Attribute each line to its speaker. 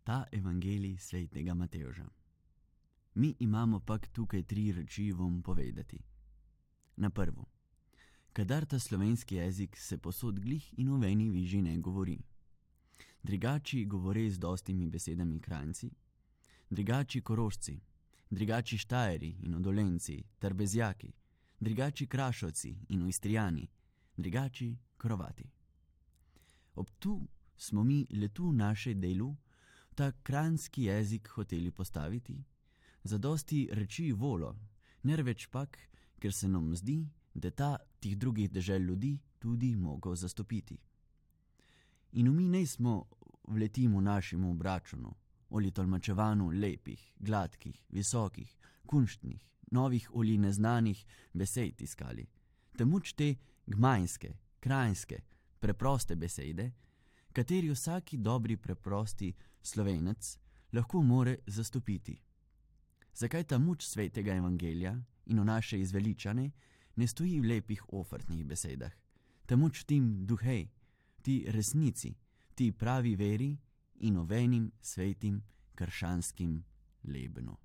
Speaker 1: ta evangelij svetega Matevža. Mi imamo pak tukaj 3 reči vam povedati. Na prvo, kadar ta slovenski jezik se posod glih in v veni viži ne govori. Drugači govore z dostimi besedami Kranjci, drugači Korošci, drugači Štajeri in Odolenci ter Bezjaki, drugači Krašovci in Istrijani, drugači Krovati. Ob tu smo mi le tu naše delu ta kranjski jezik hoteli postaviti, zadosti reči volo, nerveč pak, ker se nam zdi, da ta tih drugih dežel ljudi tudi mogo zastopiti. In mi ne smo vletimo našemu obračunu, oli tolmačevanju lepih, gladkih, visokih, kunštnih, novih oli neznanih besed iskali, temuč te gmajnske, krajinske, preproste besede, kateri vsaki dobri preprosti slovenec lahko more zastopiti. Zakaj ta muč svetega evangelija in v naše izveličane ne stoji v lepih ofrtnih besedah, temuč tim duhej, ti resnici, ti pravi veri in ovenim svetim kršanskim lebno.